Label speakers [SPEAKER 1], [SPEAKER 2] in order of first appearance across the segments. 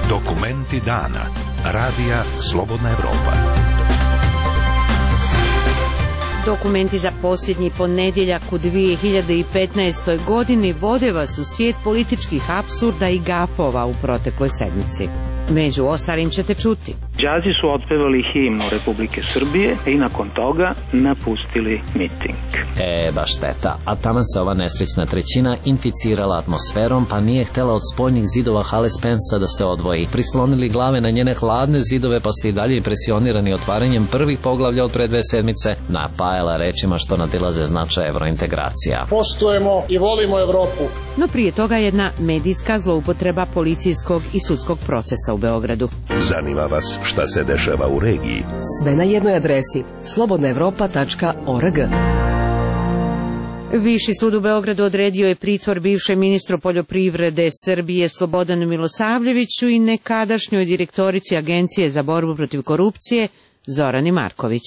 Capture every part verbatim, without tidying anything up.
[SPEAKER 1] Dokumenti dana. Radija Slobodna Evropa.
[SPEAKER 2] Dokumenti za posljednji ponedjeljak u dvije hiljade petnaestoj. godini vode vas u svijet političkih apsurda i gafova u protekloj sedmici. Među ostalim ćete čuti.
[SPEAKER 3] Đazi su otpevali himnu Republike Srbije i nakon toga napustili miting.
[SPEAKER 4] E, baš šteta. A tamo se ova nesrećna trećina inficirala atmosferom, pa nije htjela od spoljnih zidova hale Spensa da se odvoji. Prislonili glave na njene hladne zidove, pa se i dalje impresionirani otvaranjem prvih poglavlja od pre dve sedmice napajala rečima što nadilaze značaj evrointegracija.
[SPEAKER 5] Poštujemo i volimo Evropu.
[SPEAKER 2] No prije toga jedna medijska zloupotreba policijskog i sudskog procesa u Beogradu.
[SPEAKER 1] Zanima vas šta se dešava u regiji?
[SPEAKER 6] Sve na jednoj adresi slobodna evropa tačka org.
[SPEAKER 2] Viši sud u Beogradu odredio je pritvor bivšem ministru poljoprivrede Srbije Slobodanu Milosavljeviću i nekadašnjoj direktorici Agencije za borbu protiv korupcije Zorani Marković.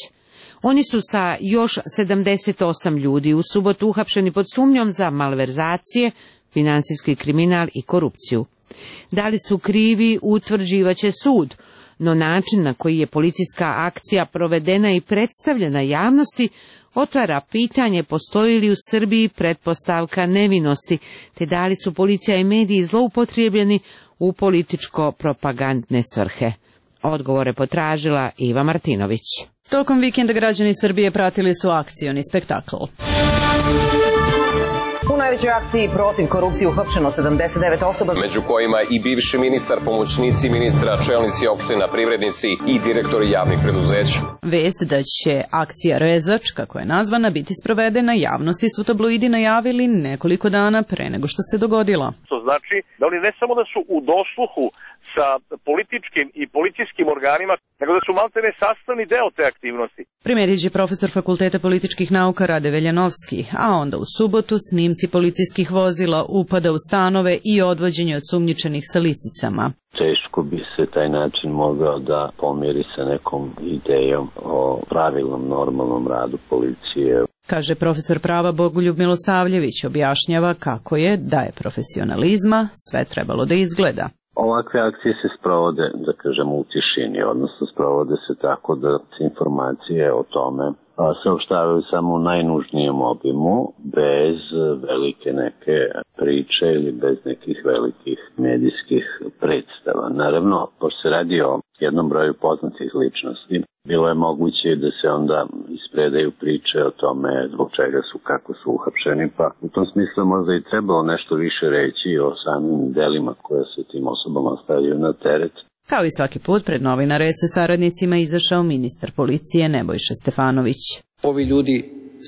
[SPEAKER 2] Oni su sa još sedamdeset osam ljudi u subotu uhapšeni pod sumnjom za malverzacije, finansijski kriminal i korupciju. Da li su krivi, utvrđivaće sud, no način na koji je policijska akcija provedena i predstavljena javnosti otvara pitanje postoji li u Srbiji pretpostavka nevinosti, te da li su policija i mediji zloupotrijebljeni u političko-propagandne svrhe. Odgovore potražila Iva Martinović.
[SPEAKER 7] Tokom vikenda građani Srbije pratili su akcioni spektakl.
[SPEAKER 8] U najvećoj akciji protiv korupcije uhapšeno sedamdeset devet osoba,
[SPEAKER 9] među kojima i bivši ministar, pomoćnici ministra, čelnici opština, privrednici i direktori javnih preduzeća.
[SPEAKER 7] Vest da će akcija Rezač, kako je nazvana, biti sprovedena javnosti su tabloidi najavili nekoliko dana pre nego što se dogodila.
[SPEAKER 10] To znači da oni ne samo da su u dosluhu sa političkim i policijskim organima, nego da su maltene sastavni deo te aktivnosti.
[SPEAKER 7] Primetit će profesor Fakulteta političkih nauka Rade Veljanovski, a onda u subotu snimci policijskih vozila, upada u stanove i odvođenje osumnjičenih sa lisicama.
[SPEAKER 11] Teško bi se taj način mogao da pomiri sa nekom idejom o pravilnom, normalnom radu policije.
[SPEAKER 7] Kaže profesor prava Bogoljub Milosavljević, objašnjava kako je, da je profesionalizma, sve trebalo da izgleda.
[SPEAKER 11] Ovakve akcije se sprovode, da kažemo, u tišini, odnosno sprovode se tako da se informacije o tome saopštavaju samo u najnužnijem obimu, bez velike neke priče ili bez nekih velikih medijskih predstava. Naravno, pošto se radi o jednom broju poznatih ličnosti, bilo je moguće da se onda ispredaju priče o tome zbog čega su, kako su uhapšeni, pa u tom smislu možda i trebalo nešto više reći o samim delima koje se tim osobama stavljaju na teret.
[SPEAKER 7] Kao i svaki put, pred novinare sa saradnicima izašao ministar policije Nebojša Stefanović.
[SPEAKER 12] Ovi ljudi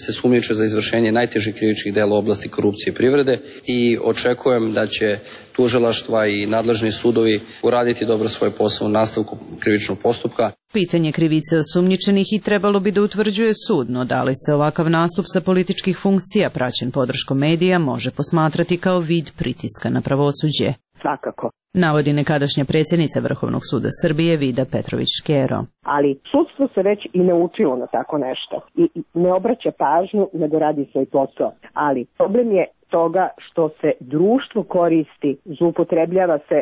[SPEAKER 12] se sumnjiče za izvršenje najtežih krivičnih dela u oblasti korupcije i privrede i očekujem da će tužilaštva i nadležni sudovi uraditi dobro svoj posao u nastavku krivičnog postupka.
[SPEAKER 7] Pitanje krivice osumnjičenih i trebalo bi da utvrđuje sud, no da li se ovakav nastup sa političkih funkcija praćen podrškom medija može posmatrati kao vid pritiska na pravosuđe.
[SPEAKER 13] Svakako.
[SPEAKER 7] Navodi nekadašnja predsjednica Vrhovnog suda Srbije Vida Petrović-Škero.
[SPEAKER 13] Ali sudstvo se već i naučilo na tako nešto i ne obraća pažnju nego radi svoj posao. Ali problem je toga što se društvo koristi, zloupotrebljava se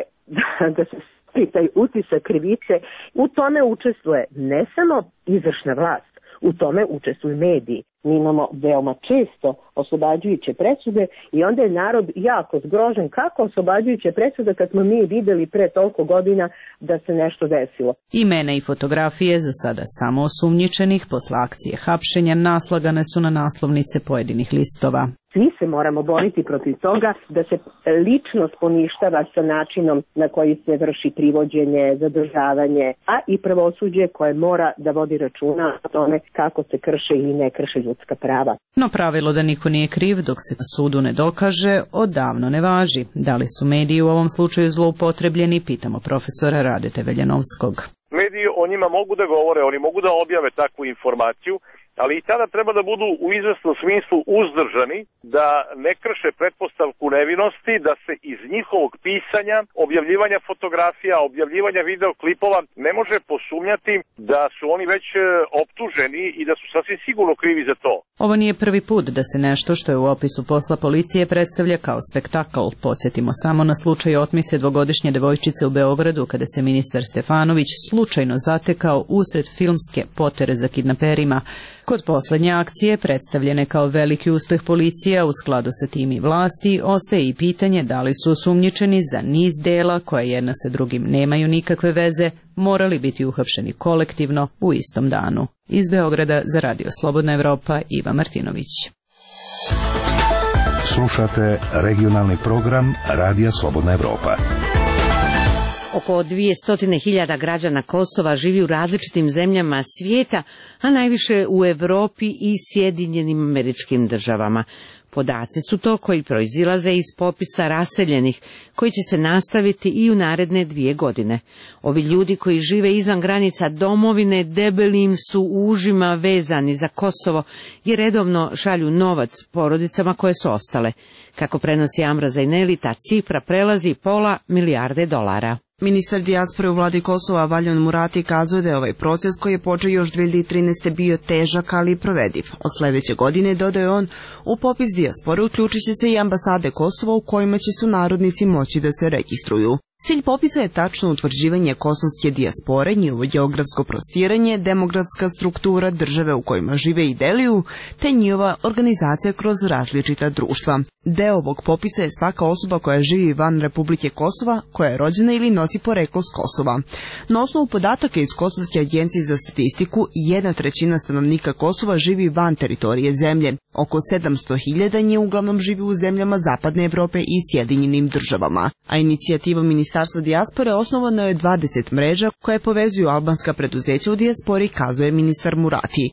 [SPEAKER 13] da se stvori taj utisak krivice. U tome učestvuje ne samo izvršna vlast, u tome učestvuju mediji. Mi imamo veoma često oslobađajuće presude i onda je narod jako zgrožen kako oslobađajuće presude kad smo mi videli pre toliko godina da se nešto desilo.
[SPEAKER 7] Imena i fotografije za sada samo osumnjičenih posle akcije hapšenja naslagane su na naslovnice pojedinih listova.
[SPEAKER 13] Svi se moramo boriti protiv toga da se ličnost poništava sa načinom na koji se vrši privođenje, zadržavanje, a i pravosuđe koje mora da vodi računa o tome kako se krše ili ne krše ljudska prava.
[SPEAKER 7] No pravilo da niko nije kriv dok se na sudu ne dokaže odavno ne važi. Da li su mediji u ovom slučaju zloupotrebljeni, pitamo profesora Radete Veljanovskog.
[SPEAKER 10] Mediji o njima mogu da govore, oni mogu da objave takvu informaciju, ali i tada treba da budu u izvesnom smislu uzdržani, da ne krše pretpostavku nevinosti, da se iz njihovog pisanja, objavljivanja fotografija, objavljivanja videoklipova ne može posumnjati da su oni već optuženi i da su sasvim sigurno krivi za to.
[SPEAKER 7] Ovo nije prvi put da se nešto što je u opisu posla policije predstavlja kao spektakl. Podsjetimo samo na slučaj otmice dvogodišnje devojčice u Beogradu, kada se ministar Stefanović slučajno zatekao usred filmske potere za kidnaperima. Kod poslednje akcije, predstavljene kao veliki uspeh policija u skladu sa tim i vlasti, ostaje i pitanje da li su osumnjičeni za niz dela koje jedna sa drugim nemaju nikakve veze, morali biti uhapšeni kolektivno u istom danu. Iz Beograda za Radio Slobodna Evropa, Iva Martinović.
[SPEAKER 1] Slušate regionalni program Radija Slobodna Evropa.
[SPEAKER 2] Oko dvjesto hiljada građana Kosova živi u različitim zemljama svijeta, a najviše u Evropi i Sjedinjenim Američkim Državama. Podaci su to koji proizilaze iz popisa raseljenih, koji će se nastaviti i u naredne dvije godine. Ovi ljudi koji žive izvan granica domovine debelim su užima vezani za Kosovo i redovno šalju novac porodicama koje su ostale. Kako prenosi Amra Zajneli, ta cifra prelazi pola milijarde dolara.
[SPEAKER 14] Ministar dijaspore u vladi Kosova Valjan Murati kazuje da je ovaj proces koji je počeo još dve hiljade trinaeste. bio težak, ali i provediv. Od sledeće godine, dodaje on, u popis dijaspore uključit će se i ambasade Kosova u kojima će sunarodnici moći da se registruju. Cilj popisa je tačno utvrđivanje kosovske dijaspore, njihovo geografsko prostiranje, demografska struktura države u kojima žive i deluju, te njihova organizacija kroz različita društva. Deo ovog popisa je svaka osoba koja živi van Republike Kosova, koja je rođena ili nosi poreklo s Kosova. Na osnovu podataka iz Kosovske agencije za statistiku, jedna trećina stanovnika Kosova živi van teritorije zemlje. Oko sedamsto hiljada nje uglavnom živi u zemljama Zapadne Evrope i Sjedinjenim Državama. A inicijativa Ministarstva dijaspore osnovano je dvadeset mreža koje povezuju albanska preduzeća u dijaspori, kazuje ministar Murati.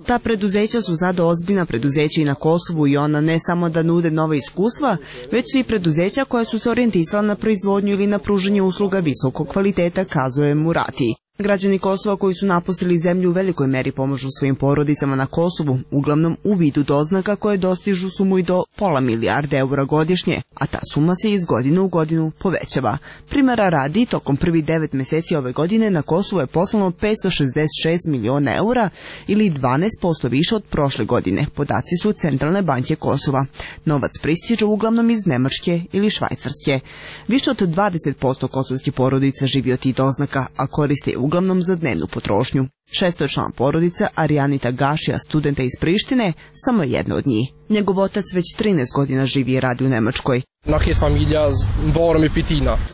[SPEAKER 14] Ta preduzeća su sada ozbiljna preduzeća i na Kosovu i ona ne samo da nude nove iskustva, već su i preduzeća koja su se orijentisala na proizvodnju ili na pružanje usluga visokog kvaliteta, kazuje Murati. Građani Kosova koji su napustili zemlju u velikoj meri pomažu svojim porodicama na Kosovu, uglavnom u vidu doznaka koje dostižu sumu i do pola milijarde eura godišnje, a ta suma se iz godine u godinu povećava. Primera radi, tokom prvih devet meseci ove godine na Kosovu je poslano petsto šezdeset šest miliona eura ili dvanaest posto više od prošle godine, podaci su Centralne banke Kosova. Novac pristiže uglavnom iz Nemačke ili Švajcarske. Više od dvadeset posto kosovskih porodica živi od tih doznaka, a koriste uglavnom za dnevnu potrošnju. Šesto je član porodica Arijanita Gašija, studenta iz Prištine, samo jedna od njih. Njegov otac već trinaest godina živi i radi u Nemačkoj.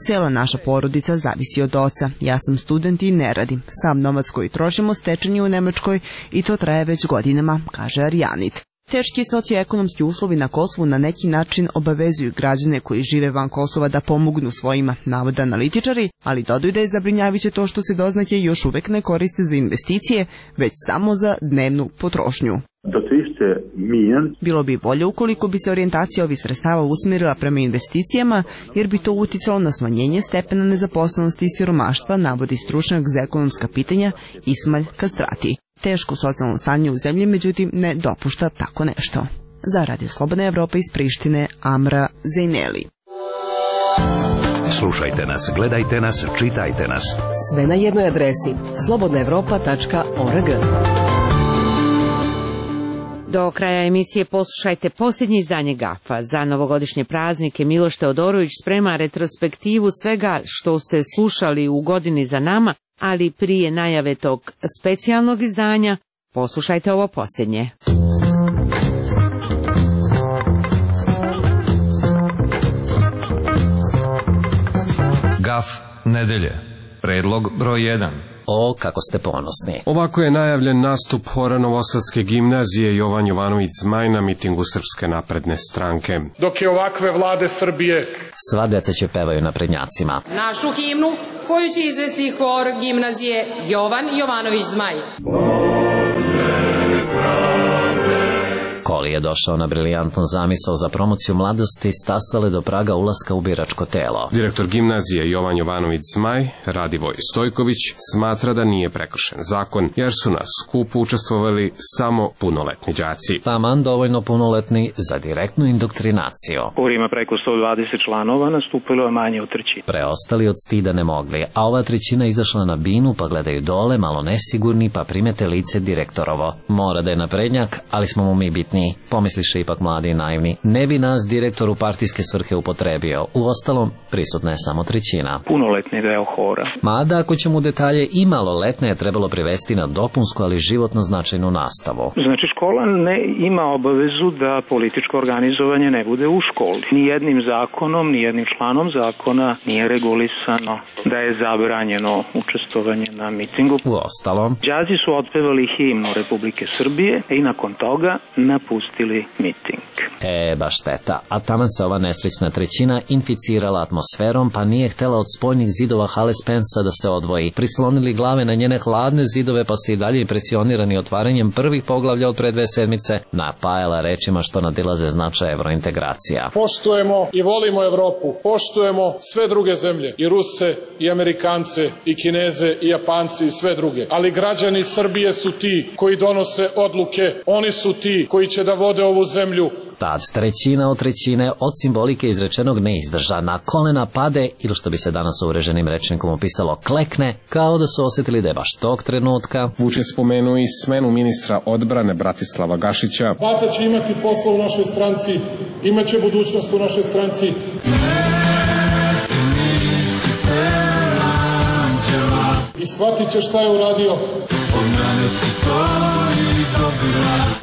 [SPEAKER 14] Cijela naša porodica zavisi od oca. Ja sam student i ne radim. Sam novac koji trošimo stečen je u Nemačkoj i to traje već godinama, kaže Arijanit. Teški socioekonomski uslovi na Kosovu na neki način obavezuju građane koji žive van Kosova da pomognu svojima, navode analitičari, ali dodaju da je zabrinjavajuće to što se doznake još uvek ne koriste za investicije, već samo za dnevnu potrošnju. Bilo bi bolje ukoliko bi se orijentacija ovih sredstava usmjerila prema investicijama, jer bi to uticalo na smanjenje stepena nezaposlenosti i siromaštva, navodi stručnjak za ekonomska pitanja Ismail Kastrati. Teško socijalno stanje u zemlji, međutim, ne dopušta tako nešto. Za Radio Slobodna Evropa iz Prištine, Amra Zajneli.
[SPEAKER 1] Slušajte nas, gledajte nas, čitajte nas.
[SPEAKER 6] Sve na jednoj adresi slobodna evropa tačka org.
[SPEAKER 2] Do kraja emisije poslušajte posljednje izdanje Gafa. Za novogodišnje praznike Miloš Teodorović sprema retrospektivu svega što ste slušali u godini za nama, ali prije najave tog specijalnog izdanja, poslušajte ovo posljednje.
[SPEAKER 15] Gaf nedelje. Predlog broj jedan.
[SPEAKER 4] O, kako ste ponosni.
[SPEAKER 16] Ovako je najavljen nastup hora Novosadske gimnazije Jovan Jovanović Zmaj na mitingu Srpske napredne stranke.
[SPEAKER 5] Dok je ovakve vlade Srbije...
[SPEAKER 4] Sva deca će pevaju na prednjacima.
[SPEAKER 17] Našu himnu koju će izvesti hor gimnazije Jovan Jovanović Zmaj.
[SPEAKER 4] Koli je došao na briljantnu zamisao za promociju mladosti stasale do praga ulaska u biračko telo.
[SPEAKER 16] Direktor gimnazije Jovan Jovanović Zmaj, Radivoj Stojković, smatra da nije prekršen zakon, jer su na skupu učestvovali samo punoletni đaci.
[SPEAKER 4] Taman dovoljno punoletni za direktnu indoktrinaciju.
[SPEAKER 3] Ima preko sto dvadeset članova, nastupilo je manje od trećine.
[SPEAKER 4] Preostali od stida ne mogli, a ova trećina izašla na binu pa gledaju dole, malo nesigurni, pa primete lice direktorovo. Mora da je naprednjak, ali smo mu mi bitniji, pomisliše ipak mladi i naivni. Ne bi nas direktor u partijske svrhe upotrebio. Uostalom, prisutna je samo trećina.
[SPEAKER 3] Punoletni deo hora.
[SPEAKER 4] Mada, ako ćemo u detalje, i maloletne je trebalo privesti na dopunsku, ali životno značajnu nastavu.
[SPEAKER 3] Znači, škola ne ima obavezu da političko organizovanje ne bude u školi. Nijednim zakonom, nijednim članom zakona nije regulisano da je zabranjeno učestvovanje na mitingu.
[SPEAKER 4] Uostalom,
[SPEAKER 3] đaci su otpevali himnu Republike Srbije i nakon toga napustili miting.
[SPEAKER 4] E, baš šteta. A taman se ova nesrećna trećina inficirala atmosferom, pa nije htela od spoljnih zidova hale Spensa da se odvoji. Prislonili glave na njene hladne zidove, pa se i dalje impresionirani otvaranjem prvih poglavlja od pre dve sedmice napajala rečima što nadilaze značaj evrointegracija.
[SPEAKER 5] Poštujemo i volimo Evropu, poštujemo sve druge zemlje, i Ruse, i Amerikance, i Kineze, i Japanci, i sve druge. Ali građani Srbije su ti koji donose odluke, oni su ti koji će da vode ovu zemlju.
[SPEAKER 4] Tad trećina od trećine od simbolike izrečenog ne izdrža, na kolena pade ili što bi se danas uvreženim rečnikom opisalo klekne, kao da su osjetili da je baš tog trenutka.
[SPEAKER 16] Vučić spomenuo i smenu ministra odbrane Bratislava Gašića.
[SPEAKER 5] Bata će imati posla u našoj stranci, imaće budućnost u našoj stranci. I shvatit će šta je uradio.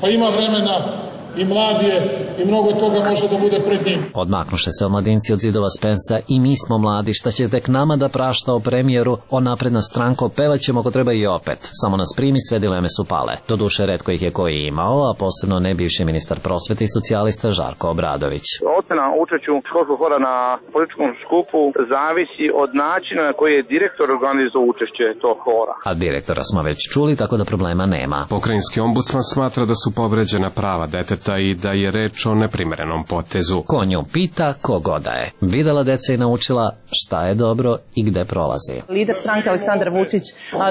[SPEAKER 5] Pa ima vremena. I mlad je, i mnogo toga može da bude pred njim.
[SPEAKER 4] Odmaknuše se omladinci od zidova Spensa i mi smo mladi, šta će tek nama da prašta o premijeru, o napredna stranko, pevaćemo ako treba i opet. Samo nas primi, sve dileme su pale. Doduše, retko ih je koji imao, a posebno ne bivši ministar prosvete i socijalista Žarko Obradović.
[SPEAKER 10] Ocena učešću školskog hora na političkom skupu zavisi od načina na koji je direktor organizovao učešće tog hora.
[SPEAKER 4] A direktora smo već čuli, tako da problema nema.
[SPEAKER 16] Pokrajinski ombudsman smatra da su povređena prava deteta i da je reč o neprimerenom potezu.
[SPEAKER 4] Ko nju pita, ko goda je. Videla deca i naučila šta je dobro i gde prolazi.
[SPEAKER 8] Lider stranke Aleksandar Vučić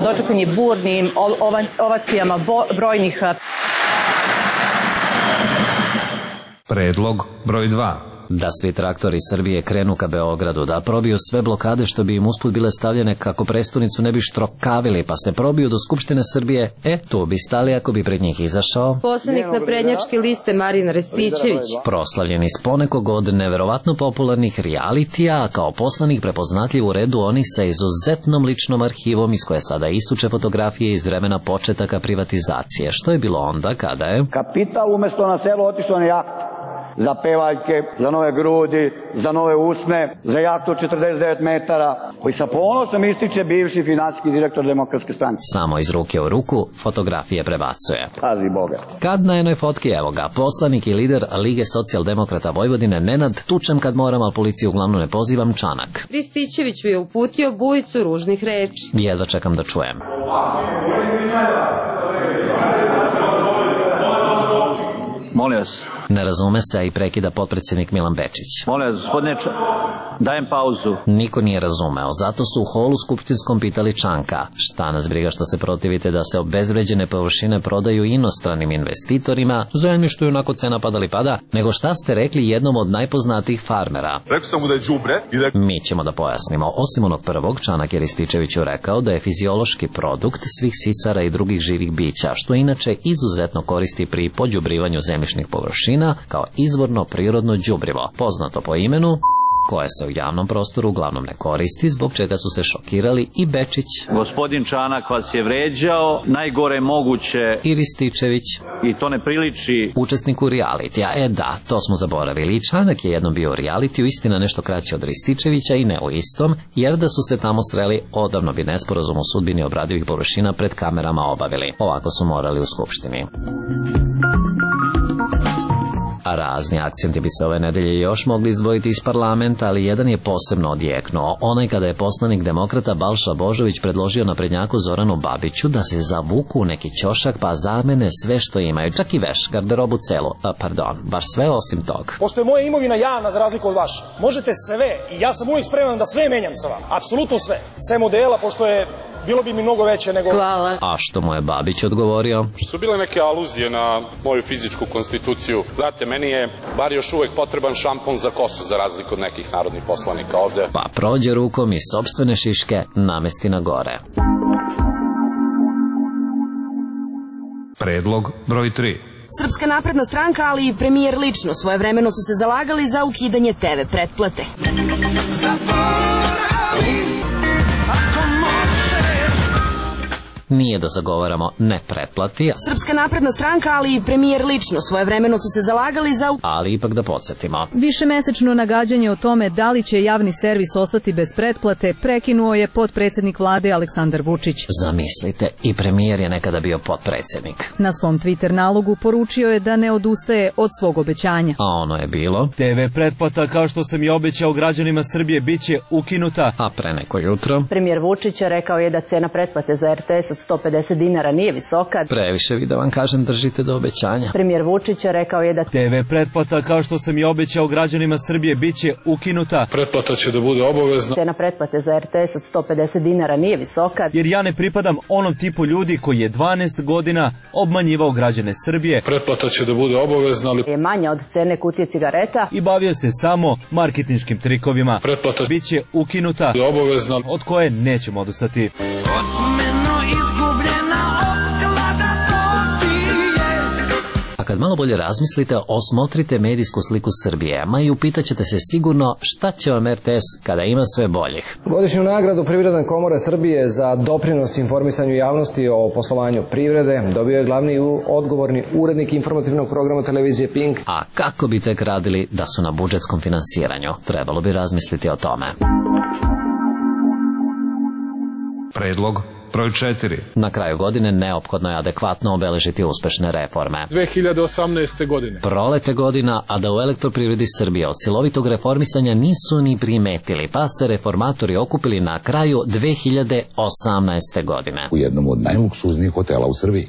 [SPEAKER 8] dočekan je burnim ovacijama brojnih.
[SPEAKER 15] Predlog broj dva.
[SPEAKER 4] Da svi traktori Srbije krenu ka Beogradu, da probiju sve blokade što bi im usput bile stavljene kako prestonicu ne bi štrokavili, pa se probiju do Skupštine Srbije, e, tu bi stali ako bi pred njih izašao
[SPEAKER 18] poslanik naprednjačke liste Marijan Rističević,
[SPEAKER 4] proslavljen iz ponekog od neverovatno popularnih realitija, a kao poslanik prepoznatljiv u redu oni sa izuzetnom ličnom arhivom iz koje sada isuče fotografije iz vremena početaka privatizacije. Što je bilo onda kada je
[SPEAKER 19] kapital umesto na selo otišao na jahtu. Za pevaljke, za nove grudi, za nove usne, za jahtu od četrdeset devet metara, koji sa ponosom ističe bivši finansijski direktor Demokratske stranke.
[SPEAKER 4] Samo iz ruke u ruku fotografije prebacuje.
[SPEAKER 19] Pazi Boga.
[SPEAKER 4] Kad na jednoj fotki, evo ga, poslanik i lider Lige socijaldemokrata Vojvodine Nenad, tučem kad moram, ali policiju uglavnom ne pozivam, Čanak.
[SPEAKER 18] Rističeviću je uputio bujicu ružnih reči.
[SPEAKER 4] Jedva čekam da čujem.
[SPEAKER 20] Molim vas.
[SPEAKER 4] Ne razume se i prekida potpredsjednik Milan Bečić.
[SPEAKER 20] Molim vas, gospodine, Č... dajem pauzu.
[SPEAKER 4] Niko nije razumeo, zato su u holu skupštinskom pitali Čanka. Šta nas briga što se protivite da se obezvređene površine prodaju inostranim investitorima, zemljištu je onako cena padali pada, nego šta ste rekli jednom od najpoznatijih farmera?
[SPEAKER 21] Rekao sam mu da je đubre i da...
[SPEAKER 4] Mi ćemo da pojasnimo. Osim onog prvog, Čanak je Rističeviću rekao da je fiziološki produkt svih sisara i drugih živih bića, što inače izuzetno koristi pri pođubrivanju zemljišnih površina kao izvorno prirodno đubrivo, poznato po imenu, koje se u javnom prostoru uglavnom ne koristi, zbog čega su se šokirali i Bečić.
[SPEAKER 20] Gospodin Čanak vas je vređao, najgore moguće.
[SPEAKER 4] I Rističević.
[SPEAKER 20] I to ne priliči
[SPEAKER 4] učesniku realitija. E da, to smo zaboravili. Čanak je jednom bio u realitiju, istina nešto kraće od Rističevića i ne u istom, jer da su se tamo sreli, odavno bi nesporazum o sudbini obradivih površina pred kamerama obavili. Ovako su morali u Skupštini. A razni akcenti bi se ove nedelje još mogli izdvojiti iz parlamenta, ali jedan je posebno odjeknuo. Onaj kada je poslanik demokrata Balša Božović predložio naprednjaku Zoranu Babiću da se zavuku u neki ćošak pa zamene sve što imaju, čak i veš, garderobu celu, a, pardon, baš sve osim tog.
[SPEAKER 21] Pošto je moja imovina javna za razliku od vaše, možete sve, i ja sam uvijek spreman da sve menjam sa vama, apsolutno sve, sve modela, pošto je bilo bi mi mnogo veće nego...
[SPEAKER 4] Hvala. A što mu je Babić odgovorio?
[SPEAKER 22] Što su bile neke aluzije na moju fizičku konstituciju. Znate, meni je bar još uvek potreban šampon za kosu, za razliku od nekih narodnih poslanika ovde.
[SPEAKER 4] Pa prođe rukom i sopstvene šiške namesti na gore.
[SPEAKER 15] Predlog broj tri.
[SPEAKER 23] Srpska napredna stranka, ali i premijer lično svojevremeno su se zalagali za ukidanje te ve pretplate.
[SPEAKER 4] Nije da zagovaramo ne pretplati.
[SPEAKER 23] Srpska napredna stranka, ali i premijer lično svojevremeno su se zalagali za...
[SPEAKER 4] Ali ipak da podsjetimo.
[SPEAKER 24] Višemesečno nagađanje o tome da li će javni servis ostati bez pretplate prekinuo je potpredsjednik vlade Aleksandar Vučić.
[SPEAKER 4] Zamislite, i premijer je nekada bio potpredsjednik.
[SPEAKER 24] Na svom Twitter nalogu poručio je da ne odustaje od svog obećanja.
[SPEAKER 4] A ono je bilo...
[SPEAKER 25] te ve pretplata, kao što sam i obećao građanima Srbije, bit će ukinuta.
[SPEAKER 4] A pre neko jutro...
[SPEAKER 8] Premijer Vučić rekao je da cena pretplate za er te es od sto pedeset dinara nije visoka.
[SPEAKER 4] Previše vi da vam kažem, držite do obećanja.
[SPEAKER 8] Premijer Vučić rekao je da
[SPEAKER 25] te ve pretplata, kao što sam i obećao građanima Srbije, bit će ukinuta.
[SPEAKER 5] Pretplata će da bude obavezna.
[SPEAKER 8] Cena pretplate za er te es od sto pedeset dinara nije visoka.
[SPEAKER 25] Jer ja ne pripadam onom tipu ljudi koji je dvanaest godina obmanjivao građane Srbije.
[SPEAKER 5] Pretplata će da bude obavezna, ali
[SPEAKER 8] je manja od cene kutije cigareta.
[SPEAKER 25] I bavio se samo marketinškim trikovima.
[SPEAKER 5] Pretplata
[SPEAKER 25] bit će ukinuta,
[SPEAKER 5] je obavezna,
[SPEAKER 25] od koje nećemo odustati.
[SPEAKER 4] A kad malo bolje razmislite, osmotrite medijsku sliku Srbije, ma i upitaćete se sigurno šta će vam er te es kada ima sve boljih.
[SPEAKER 26] Godišnju nagradu Privredne komore Srbije za doprinos informisanju javnosti o poslovanju privrede dobio je glavni i odgovorni urednik informativnog programa televizije Pink.
[SPEAKER 4] A kako bi tek radili da su na budžetskom finansiranju? Trebalo bi razmisliti o tome.
[SPEAKER 15] Predlog broj četiri.
[SPEAKER 4] Na kraju godine neophodno je adekvatno obeležiti uspešne reforme.
[SPEAKER 5] dve hiljade osamnaeste. godine.
[SPEAKER 4] Prolete godina, a da u Elektroprivredi Srbije od silovitog reformisanja nisu ni primetili, pa se reformatori okupili na kraju dve hiljade osamnaeste. godine.
[SPEAKER 27] U jednom od najluksuznijih hotela u Srbiji.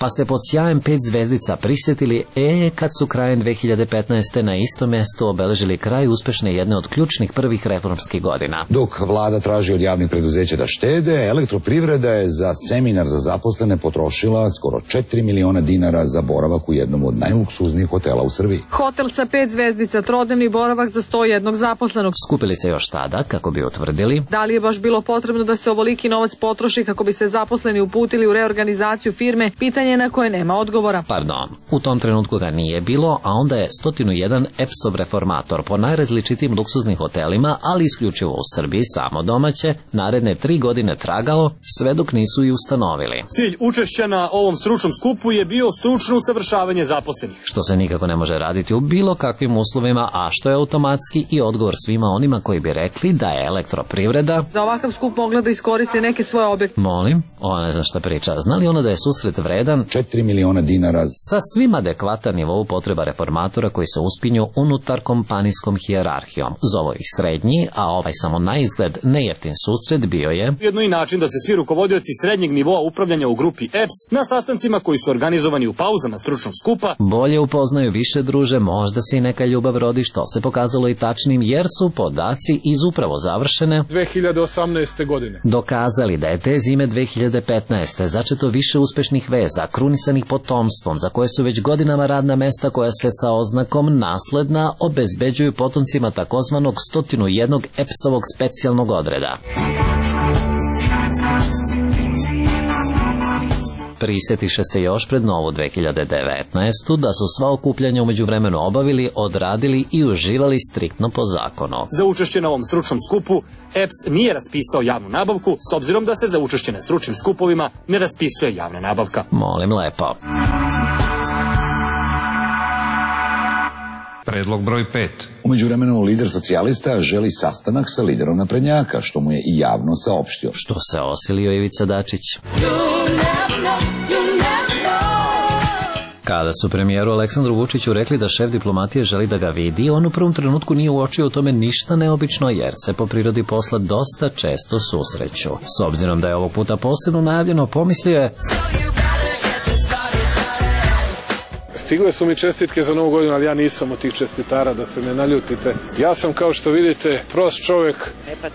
[SPEAKER 4] Pa se pod sjajem pet zvezdica prisjetili, e, kad su krajem dve hiljade petnaeste. na isto mjesto obeležili kraj uspešne jedne od ključnih prvih reformskih godina.
[SPEAKER 27] Dok vlada traži od javnih preduzeća da štede, Elektroprivreda je za seminar za zaposlene potrošila skoro četiri miliona dinara za boravak u jednom od najluksuznijih hotela u Srbiji.
[SPEAKER 28] Hotel sa pet zvezdica, trodnevni boravak za sto jednog zaposlenog.
[SPEAKER 4] Skupili se još tada kako bi utvrdili
[SPEAKER 28] da li je baš bilo potrebno da se ovoliki novac potroši kako bi se zaposleni uputili u reorganizaciju firme, pitanje na koje nema odgovora.
[SPEAKER 4] Pardon, u tom trenutku ga nije bilo, a onda je sto jedan E P S-ov reformator po najrazličitim luksuznim hotelima, ali isključivo u Srbiji, samo domaće, naredne tri godine tragao, sve dok nisu i ustanovili.
[SPEAKER 29] Cilj učešća na ovom stručnom skupu je bio stručno usavršavanje zaposlenih.
[SPEAKER 4] Što se nikako ne može raditi u bilo kakvim uslovima, a što je automatski i odgovor svima onima koji bi rekli da je Elektroprivreda
[SPEAKER 28] za ovakav skup mogla da iskoristi neke svoje objekte.
[SPEAKER 4] Molim, ona ne zna šta priča. Zna li ona da je susret vredan
[SPEAKER 27] četiri miliona dinara
[SPEAKER 4] sa svim adekvatan nivou potreba reformatora koji se uspinju unutar kompanijskom hijerarhijom? Zovo ih srednji, a ovaj samo na izgled nejeftin susret bio je
[SPEAKER 29] jedno i način da se svi rukovodioci srednjeg nivoa upravljanja u grupi E P S na sastancima koji su organizovani u pauzama stručnog skupa
[SPEAKER 4] bolje upoznaju, više druže, možda se i neka ljubav rodi, što se pokazalo i tačnim jer su podaci iz upravo završene
[SPEAKER 5] dve hiljade osamnaeste. godine
[SPEAKER 4] dokazali da je te zime dve hiljade petnaeste. začeto više uspešnih veza, krunisanih potomstvom, za koje su već godinama radna mesta koja se sa oznakom nasledna obezbeđuju potomcima takozvanog sto jedan E P S-ovog specijalnog odreda. Prisjetiše se još pred novu dve hiljade devetnaestu. da su sva okupljanja umeđu vremenu obavili, odradili i uživali striktno po zakonu.
[SPEAKER 29] Za učešće na ovom stručnom skupu E P S nije raspisao javnu nabavku, s obzirom da se za učešće na stručnim skupovima ne raspisuje javna nabavka.
[SPEAKER 4] Molim lepo.
[SPEAKER 15] Predlog broj pet.
[SPEAKER 27] U međuvremenu lider socijalista želi sastanak sa liderom naprednjaka, što mu je i javno saopštio.
[SPEAKER 4] Što se osilio Ivica Dačić?
[SPEAKER 30] You never know, you never know.
[SPEAKER 4] Kada su premijeru Aleksandru Vučiću rekli da šef diplomatije želi da ga vidi, on u prvom trenutku nije uočio u tome ništa neobično jer se po prirodi posla dosta često susreću. S obzirom da je ovog puta posebno najavljeno, pomislio je:
[SPEAKER 5] Stigle su mi čestitke za Novu godinu, ali ja nisam od tih čestitara, da se ne naljutite. Ja sam, kao što vidite, prost čovjek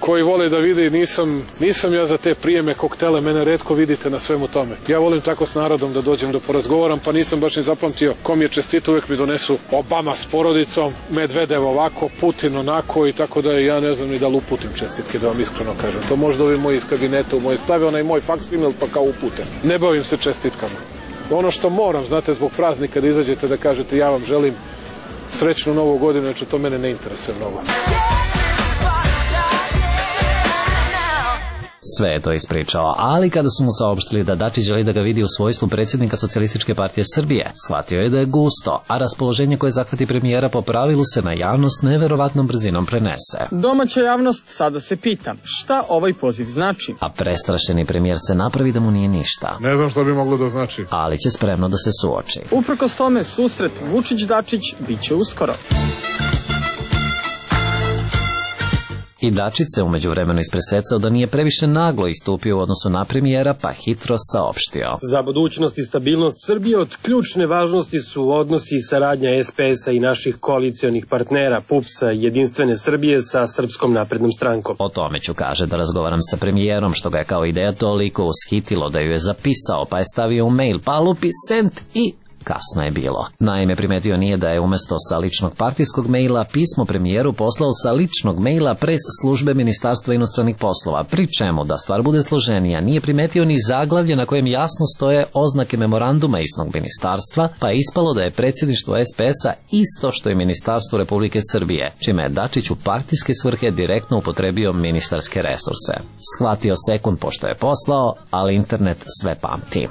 [SPEAKER 5] koji voli da vidi, nisam, nisam ja za te prijeme koktele, mene retko vidite na svemu tome. Ja volim tako s narodom da dođem da porazgovaram, pa nisam baš ni zapamtio kom je čestito, uvek mi donesu Obama s porodicom, Medvedev ovako, Putin onako i tako da ja ne znam ni da li uputim čestitke, da vam iskreno kažem. To možda ovi moji iz kabineta u moje stave, onaj moj faks email pa kao uputem. Ne bavim se čestitkama. Ono što moram, znate, zbog praznika da izađete da kažete ja vam želim srećnu Novu godinu, znači to mene ne interesuje mnogo.
[SPEAKER 4] Sve je to ispričao, ali kada su mu saopštili da Dačić želi da ga vidi u svojstvu predsjednika Socijalističke partije Srbije, shvatio je da je gusto, a raspoloženje koje zahvati premijera po pravilu se na javnost neverovatnom brzinom prenese.
[SPEAKER 29] Domaća javnost sada se pita šta ovaj poziv znači.
[SPEAKER 4] A prestrašeni premijer se napravi da mu nije ništa.
[SPEAKER 5] Ne znam što bi moglo da znači.
[SPEAKER 4] Ali će spremno da se suoči.
[SPEAKER 29] Uprkos tome, susret Vučić-Dačić bit će uskoro.
[SPEAKER 4] I Dačić se umeđu vremenu ispresecao da nije previše naglo istupio u odnosu na premijera, pa hitro saopštio:
[SPEAKER 1] Za budućnost i stabilnost Srbije od ključne važnosti su odnosi i saradnja es pe es a i naših koalicionih partnera P U P S-a i Jedinstvene Srbije sa Srpskom naprednom strankom.
[SPEAKER 4] O tome ću, kaže, da razgovaram sa premijerom, što ga je kao ideja toliko ushitilo da ju je zapisao, pa je stavio u mail, pa lupi sent i... kasno je bilo. Naime, primetio nije da je umesto sa ličnog partijskog maila pismo premijeru poslao sa ličnog maila pres službe Ministarstva inostranih poslova, pri čemu, da stvar bude složenija, nije primetio ni zaglavlje na kojem jasno stoje oznake memoranduma isnog ministarstva, pa je ispalo da je predsjedništvo es pe es a isto što i Ministarstvo Republike Srbije, čime je Dačić u partijske svrhe direktno upotrebio ministarske resurse. Shvatio sekund pošto je poslao, ali internet sve pamti.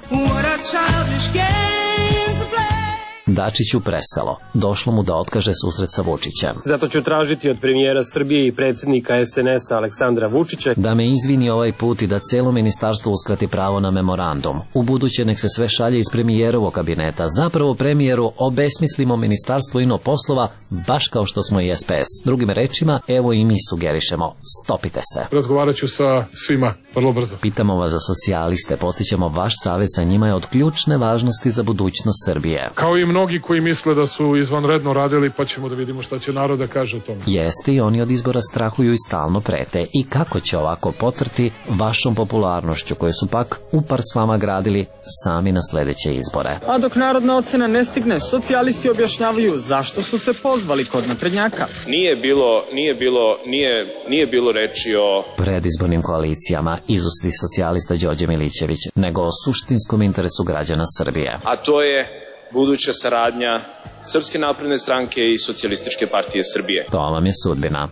[SPEAKER 4] Dačiću preselo. Došlo mu da otkaže susret sa Vučićem.
[SPEAKER 1] Zato ću tražiti od premijera Srbije i predsjednika es en es a Aleksandra Vučića
[SPEAKER 4] da me izvini ovaj put i da celo ministarstvo uskrati pravo na memorandum. U buduće nek se sve šalje iz premijerovog kabineta. Zapravo premijeru obesmislimo ministarstvo ino poslova, baš kao što smo i es pe es. Drugim rečima, evo i mi sugerišemo. Stopite se.
[SPEAKER 5] Razgovarat ću sa svima, vrlo brzo.
[SPEAKER 4] Pitamo vas za socijaliste, postićemo vaš savez sa njima je od ključne važnosti za budućnost Srbije.
[SPEAKER 5] Kao i mnogi koji misle da su izvanredno radili, pa ćemo da vidimo šta će narod da kaže o tome.
[SPEAKER 4] Jeste, i oni od izbora strahuju i stalno prete. I kako će ovako potrti vašom popularnošću, koju su pak upar s vama gradili sami na sledeće izbore.
[SPEAKER 29] A dok narodna ocena ne stigne, socijalisti objašnjavaju zašto su se pozvali kod naprednjaka.
[SPEAKER 2] Nije bilo, nije bilo, nije, nije bilo reči o
[SPEAKER 4] predizbornim koalicijama izusti socijalista Đorđe Milićević, nego o suštinskom interesu građana Srbije.
[SPEAKER 2] A to je buduća saradnja Srpske napredne stranke i Socijalističke partije Srbije.
[SPEAKER 4] To vam je sudbina.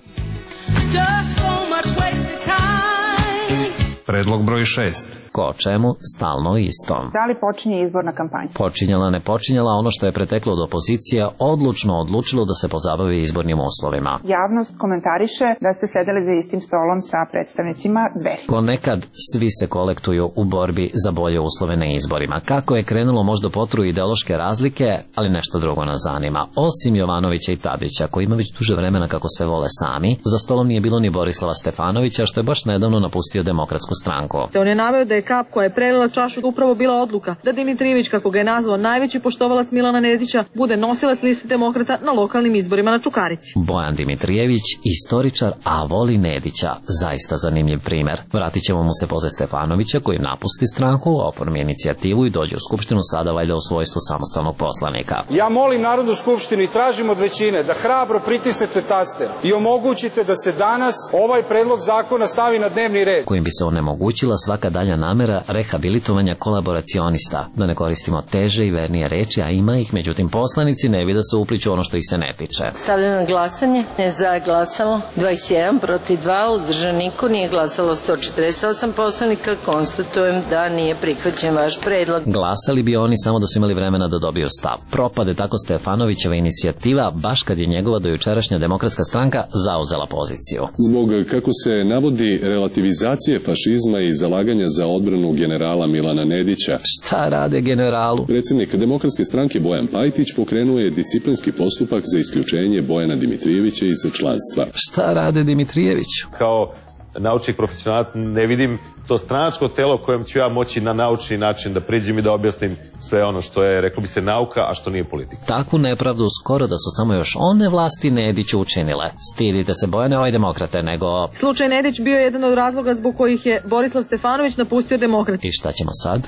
[SPEAKER 15] Predlog broj šest.
[SPEAKER 4] Ko o čemu, stalno isto.
[SPEAKER 6] Da li počinje izborna kampanja?
[SPEAKER 4] Počinjala, ne počinjala, ono što je preteklo od opozicija odlučno odlučilo da se pozabavi izbornim uslovima.
[SPEAKER 6] Javnost komentariše da ste sedeli za istim stolom sa predstavnicima Dveri.
[SPEAKER 4] Ko nekad, svi se kolektuju u borbi za bolje uslove na izborima. Kako je krenulo, možda potru ideološke razlike, ali nešto drugo nas zanima. Osim Jovanovića i Tadića, koji ima već duže vremena kako sve vole sami, za stolom nije bilo ni Borislava Stefanovića, što je baš nedavno napustio Demokratsku stranku.
[SPEAKER 28] Te on je naveo da je kap koja je prelila čašu upravo bila odluka da Dimitrijević, kako ga je nazvao najveći poštovalac Milana Nedića, bude nosilac liste demokrata na lokalnim izborima na Čukarici.
[SPEAKER 4] Bojan Dimitrijević, istoričar, a voli Nedića. Zaista zanimljiv primer. Vratit ćemo mu se posle Stefanovića, koji napusti stranku, oformi inicijativu i dođe u Skupštinu, sada valjda u svojstvu samostalnog poslanika.
[SPEAKER 7] Ja molim Narodnu skupštinu i tražim od većine da hrabro pritisnete taster i omogućite da se danas ovaj predlog zakona stavi na dnevni red,
[SPEAKER 4] kojim bi se onemogućila svaka dalja namera rehabilitovanja kolaboracionista, da ne koristimo teže i vernije reči, a ima ih, međutim poslanici ne bi da se upliču ono što ih se ne tiče.
[SPEAKER 9] Stavljam na glasanje, ne za je glasalo dvadeset jedan, protiv dva, uzdržan niko, nije glasalo sto četrdeset osam poslanika, konstatujem da nije prihvaćen vaš predlog.
[SPEAKER 4] Glasali bi oni samo da su imali vremena da dobiju stav. Propade tako Stefanovićeva inicijativa, baš kad je njegova dojučerašnja Demokratska stranka zauzela poziciju.
[SPEAKER 11] Zbog, kako se navodi, relativizacije fašizma i zalaganja za odbranu
[SPEAKER 3] odbranu generala Milana Nedića.
[SPEAKER 4] Šta rade generalu?
[SPEAKER 3] Predsjednik Demokratske stranke Bojan Pajtić pokrenuo je disciplinski postupak za isključenje Bojana Dimitrijevića iz članstva.
[SPEAKER 4] Šta rade Dimitrijević?
[SPEAKER 10] Kao naučnik profesionalac ne vidim to stranačko telo kojem ću ja moći na naučni način da priđem i da objasnim sve ono što je, reklo bi se, nauka, a što nije politika.
[SPEAKER 4] Takvu nepravdu skoro da su samo još one vlasti Nediću učinile. Stidite se, Bojane, oj demokrate, nego...
[SPEAKER 28] Slučaj Nedić bio je jedan od razloga zbog kojih je Borislav Stefanović napustio demokrate.
[SPEAKER 4] I šta ćemo sad?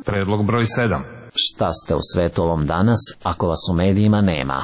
[SPEAKER 15] Predlog broj sedam.
[SPEAKER 4] Šta ste u svetu ovom danas, ako vas u medijima nema?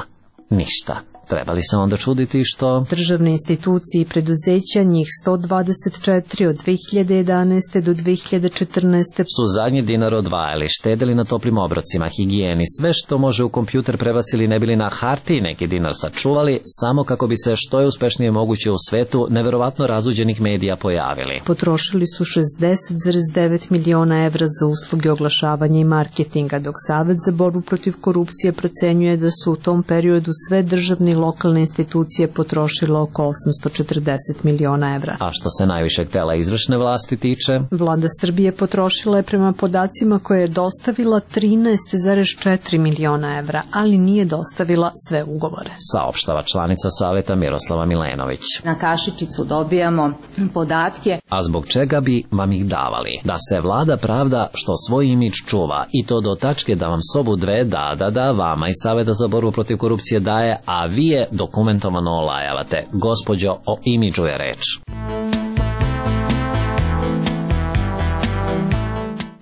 [SPEAKER 4] Ništa. Treba li se onda čuditi što...
[SPEAKER 11] Državne institucije i preduzeća, njih sto dvadeset četiri od dve hiljade jedanaeste do dve hiljade četrnaeste
[SPEAKER 4] su zadnji dinar odvajali, štedeli na toplim obrocima, higijeni, sve što može u kompjuter prebacili, ne bili na hartiji neki dinar sačuvali, samo kako bi se što je uspešnije moguće u svetu neverovatno razuđenih medija pojavili.
[SPEAKER 11] Potrošili su šezdeset zarez devet miliona evra za usluge oglašavanja i marketinga, dok Savet za borbu protiv korupcije procenjuje da su u tom periodu sve državne i lokalne institucije potrošile oko osamsto četrdeset miliona evra.
[SPEAKER 4] A što se najvišeg tela izvršne vlasti tiče?
[SPEAKER 11] Vlada Srbije potrošila je prema podacima koje je dostavila trinaest zarez četiri miliona evra, ali nije dostavila sve ugovore.
[SPEAKER 4] Saopštava članica Saveta Miroslava Milenović.
[SPEAKER 12] Na kašičicu dobijamo podatke.
[SPEAKER 4] A zbog čega bi vam ih davali? Da se vlada pravda što svoj imidž čuva i to do tačke da vam sobu dve da, da, da, vama i Saveta za borbu protiv korupcije daje, a vi je dokumentovano olajavate. Gospođo, o imidžu je reč.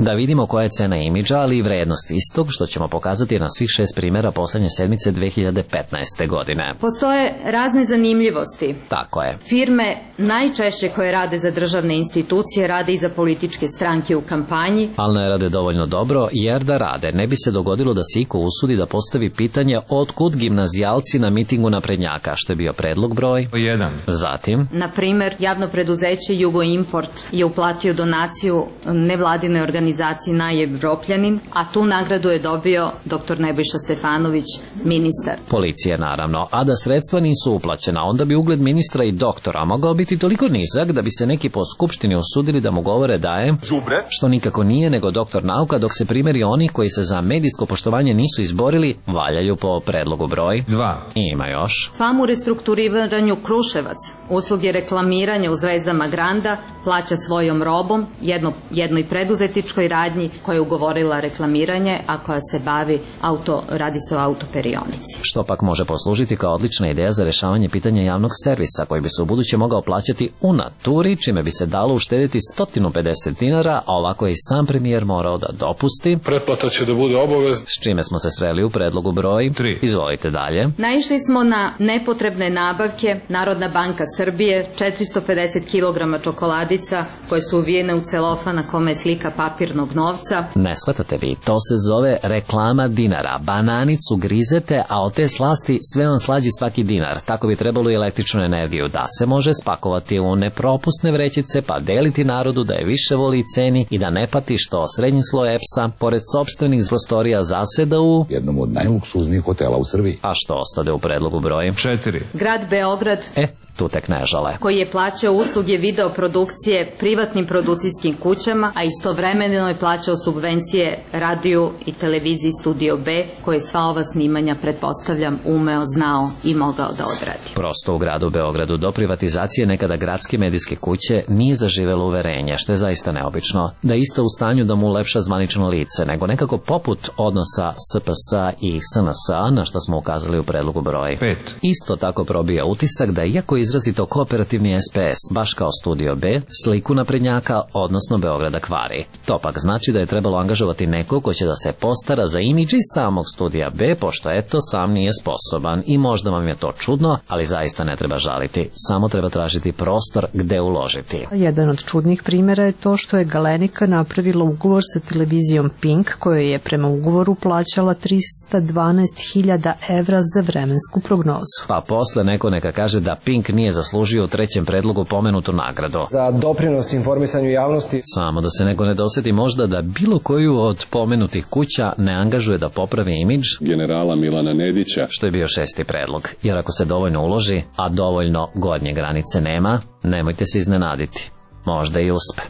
[SPEAKER 4] Da vidimo koja je cena imidža, ali i vrednost istog, što ćemo pokazati na svih šest primjera poslednje sedmice dve hiljade petnaeste. godine.
[SPEAKER 12] Postoje razne zanimljivosti.
[SPEAKER 4] Tako je.
[SPEAKER 12] Firme najčešće koje rade za državne institucije rade i za političke stranke u kampanji.
[SPEAKER 4] Ali ne rade dovoljno dobro, jer da rade ne bi se dogodilo da se iko usudi da postavi pitanje otkud gimnazijalci na mitingu naprednjaka, što je bio predlog broj
[SPEAKER 15] jedan.
[SPEAKER 4] Zatim,
[SPEAKER 12] na primer, javno preduzeće Jugoimport je uplatio donaciju nevladinoj organizaciji organizaciji Najevropljanin, a tu nagradu je dobio doktor Nebojša Stefanović, ministar.
[SPEAKER 4] Policija naravno, a da sredstva nisu uplaćena, onda bi ugled ministra i doktora mogao biti toliko nizak da bi se neki po skupštini osudili da mu govore da je,
[SPEAKER 13] đubre,
[SPEAKER 4] što nikako nije nego doktor nauka, dok se primjeri oni koji se za medijsko poštovanje nisu izborili valjaju po predlogu broj
[SPEAKER 15] dva.
[SPEAKER 4] I ima još.
[SPEAKER 12] FAM u restrukturiranju Kruševac, usluge reklamiranja u Zvezdama Granda plaća svojom robom jedno, jednoj preduzetičkoj radnji koja je ugovorila reklamiranje, a koja se bavi auto, radi se o autoperionici.
[SPEAKER 4] Što pak može poslužiti kao odlična ideja za rešavanje pitanja javnog servisa, koji bi se u buduće mogao plaćati u naturi, čime bi se dalo uštediti sto pedeset dinara, a ovako je i sam premijer morao da dopusti.
[SPEAKER 5] Pretplata će da bude obavezna.
[SPEAKER 4] S čime smo se sreli u predlogu broj tri. Izvolite dalje.
[SPEAKER 12] Naišli smo na nepotrebne nabavke. Narodna banka Srbije, četiristo pedeset kilograma čokoladica koje su uvijene u celofan na kome je slika papirnog novca.
[SPEAKER 4] Ne shvatate vi, to se zove reklama dinara. Bananicu grizete, a od te slasti sve vam slađi svaki dinar. Tako bi trebalo i električnu energiju da se može spakovati u nepropusne vrećice pa deliti narodu da je više voli i ceni i da ne pati što srednji sloj E P S-a pored sopstvenih prostorija zaseda u
[SPEAKER 27] jednom od najluksuznijih hotela u Srbiji.
[SPEAKER 4] A što ostade u predlogu broj
[SPEAKER 15] četiri.
[SPEAKER 12] Grad Beograd,
[SPEAKER 4] E, tu tek ne žale,
[SPEAKER 12] koji je plaćao usluge videoprodukcije privatnim produkcijskim kućama, a istovremeno je plaćao subvencije radiju i televiziji Studio B, koje sva ova snimanja, pretpostavljam, umeo, znao i mogao da odradi.
[SPEAKER 4] Prosto u gradu Beogradu do privatizacije nekada gradske medijske kuće nije zaživelo uverenje, što je zaista neobično, da je isto u stanju da mu ulepša zvanično lice, nego nekako poput odnosa S P S-a i S N S-a, na što smo ukazali u predlogu broj
[SPEAKER 15] pet.
[SPEAKER 4] Isto tako probija utisak da iako izrazito kooperativni S P S, baš kao Studio B, sliku naprednjaka, odnosno Beograda kvari. To pak znači da je trebalo angažovati neko ko će da se postara za imidž iz samog Studija B, pošto eto sam nije sposoban i možda vam je to čudno, ali zaista ne treba žaliti, samo treba tražiti prostor gde uložiti.
[SPEAKER 11] Jedan od čudnih primjera je to što je Galenika napravila ugovor sa televizijom Pink, kojoj je prema ugovoru plaćala trista dvanaest hiljada evra za vremensku prognozu.
[SPEAKER 4] Pa posle neko neka kaže da Pink nije zaslužio u trećem predlogu pomenutu nagradu
[SPEAKER 26] za doprinos informisanju javnosti.
[SPEAKER 4] Samo da se neko ne doseti možda da bilo koju od pomenutih kuća ne angažuje da popravi imidž
[SPEAKER 3] generala Milana Nedića,
[SPEAKER 4] što je bio šesti predlog. Jer ako se dovoljno uloži, a dovoljno gornje granice nema, nemojte se iznenaditi. možda i uspe.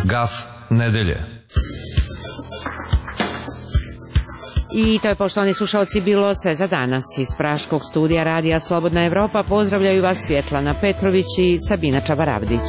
[SPEAKER 15] Gaf nedelje.
[SPEAKER 13] I to je, poštovani slušalci, bilo sve za danas. Iz Praškog studija Radija Slobodna Evropa pozdravljaju vas Svjetlana Petrović i Sabina Čabaravdić.